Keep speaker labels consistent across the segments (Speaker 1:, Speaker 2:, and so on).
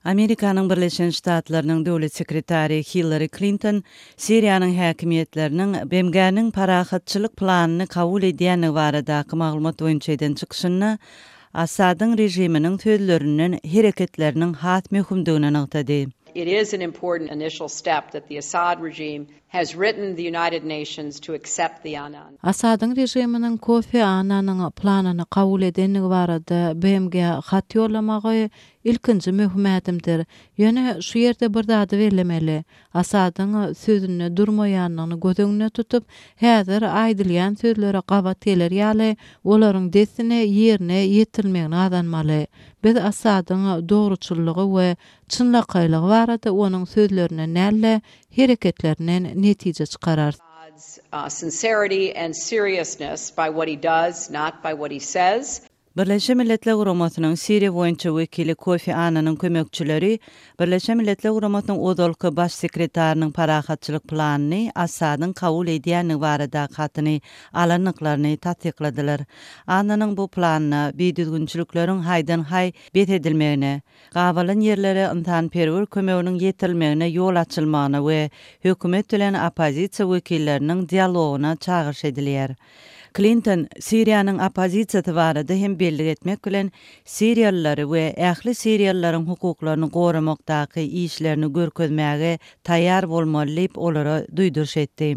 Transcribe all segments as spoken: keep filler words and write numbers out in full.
Speaker 1: Amerikanyň Birleşen Ştatlarynyň döwlet sekretary Hillary Klinton Siriýanyň häkimiýetleriniň B M G-niň parahatçylyk planyny kabul edýändigi baradaky maglumat boýunça eden çykyşynda Asadyň režiminiň sözlerinden hereketleriniň has möhümdigini nygtady.
Speaker 2: It is an important initial step that the Assad regime has written the United Nations to accept the Annan.
Speaker 3: Asadyň režiminiň Kofi Annanyň planyny kabul edendigi barada B M G hat ýollamagy ilkinji möhüm ädimdir. Ýöne şu ýerde bir zady bellemeli. Asadyň sözünde durmaýanyny göz öňünde tutup, häzir aýdylýan sözlere gabat geler ýaly, olaryň dessine ýerine ýetirilmegini gazanmaly. Biz Asadyň dogruçyllygy we çynlakaýlygy barada onuň sözlerinden däl-de hereketlerinden netije çykararys.
Speaker 2: Uh, sincerity and seriousness by what he does, not by what he says.
Speaker 1: Birleşen Milletler Guramasynyň Siriýa boýunça wekili Kofi Annanyň kömekçileri Birleşen Milletler Guramasynyň ozalky baş sekretarynyň parahatçylyk planyny Asadyň kabul edýändigi barada hatyny alandyklaryny tassykladylar. Annanyň bu planyna bidüzgünçilikleriň haýdan-haý bes edilmegine, gabalan ýerlere ynsanperwer kömeginiň ýetirilmegine ýol açylmagyna we hökümet bilen oppozisiýa wekilleriniň dialogyna çagyryş edilýär. Clinton Siriýanyň oppozisiýasy barada hem bellik etmek bilen Siriýalylary we ähli Siriýalylaryň hukuklaryny goramakdaky işlerini görkezmäge taýýar bolmaly diýip olara duýduryş etdi.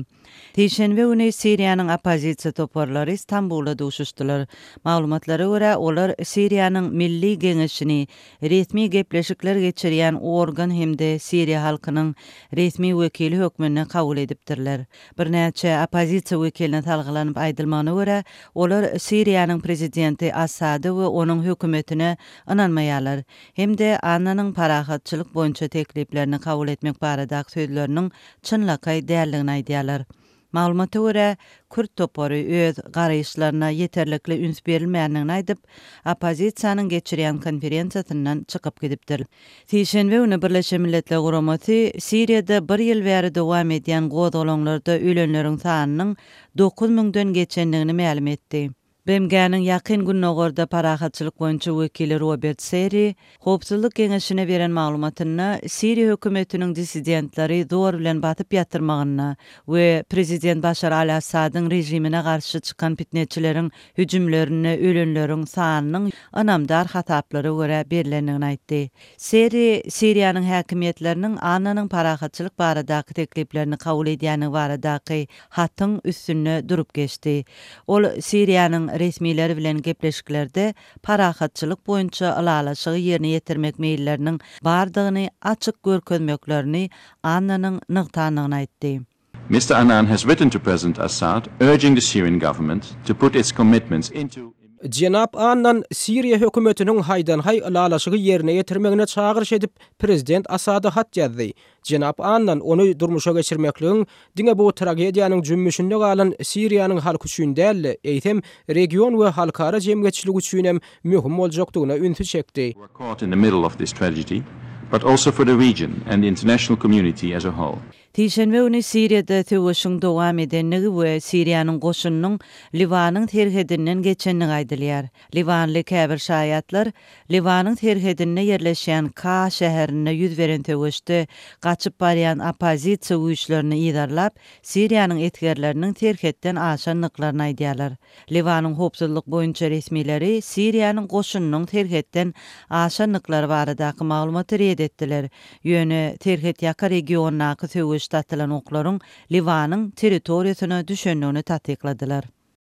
Speaker 1: Sişenbe güni Siriýanyň oppozisiýa toparlary Stambulda duşuşdylar. Maglumatlara görä, olar Siriýanyň Milli Geňeşini resmi gepleşikler geçirýän organ hem-de Siriýa halkynyň resmi wekili hökmünde kabul edipdirler. Birnäçe oppozisiýa wekiline salgylanyp aýdylmagyna görä, olar Siriýanyň prezidenti Asady we onuň hökümetine ynanmaýarlar. Hem-de Annanyň parahatçylyk boýunça tekliplerini kabul etmek baradaky sözleriniň çynlakaý däldigini aýdýarlar. Maglumata görä, Kürt topary öz garaýyşlaryna ýeterlikli üns berilmändigini aýdyp, oppozisiýanyň geçirýän konferensiýasyndan çykyp gidipdir. Sişenbe güni Birleşen Milletler Guramasy Siriýada bir ýyl bäri dowam edýän gozgalaňlarda ölenleriň sanynyň dokuz müňden geçendigini mälim etdi. B M G-niň Ýakyn Gündogarda parahatçylyk boýunça wekili Robert Serri Howpsuzlyk Geňeşine beren maglumatynda Siriýa hökümetiniň dissidentleri zor bilen basyp ýatyrmagyna we prezident Başar al-Assadyň režimine garşy çykan pitneçileriň hüjümlerinde ölenleriň sanynyň ynamdar hasaplara görä berilendigini aýtdy. Serri Siriýanyň häkimiýetleriniň Annanyň parahatçylyk baradaky tekliplerini kabul edýändigi baradaky hatyň üstünde durup geçdi. Ol Siriýanyň resmileri bilen gepleşiklerde parahatçylyk boýunça ylalaşygy ýerine ýetirmek meýilleriniň bardygyny açyk görkezmeklerini Annanyň nygtandygyny aýtdy.
Speaker 4: Mister Annan has written to President Assad urging the Syrian government to put its commitments into
Speaker 5: Jenap Annan Siriýa hökümetiniň haýdan-haý ylalaşygy ýerine ýetirmegine çagyryş edip, prezident Asada hat ýazdy. Jenap Annan ony durmuşa geçirmekligiň diňe bu tragediýanyň jümmüşinde galan Siriýanyň halky üçin däl, eýsem region we halkara jemgyýetçiligi üçin hem möhüm boljakdygyna ünsi çekdi.
Speaker 4: Who are caught in the middle of this tragedy, but also for the region and the international community as a whole.
Speaker 1: Sişenbe güni Siriýada söweşiň dowam edendigi we Siriýanyň goşunynyň Liwanyň serhedinden geçendigi aýdylýar. Liwanly käbir şaýatlar Liwanyň serhedinde ýerleşýän Ka şäherinde ýüz beren söweşde gaçyp barýan oppozisiýa güýçlerini yzarlap, Siriýanyň esgerleriniň serhetden aşandyklaryny aýdýarlar. Liwanyň howpsuzlyk boýunça resmileri Siriýanyň goşunynyň serhetden aşandyklary baradaky maglumaty ret etdiler. Ýöne serhet ýaka regiondaky söweşde atylan oklaryň Liwanyň territoriýasyna düşendigini tassykladylar.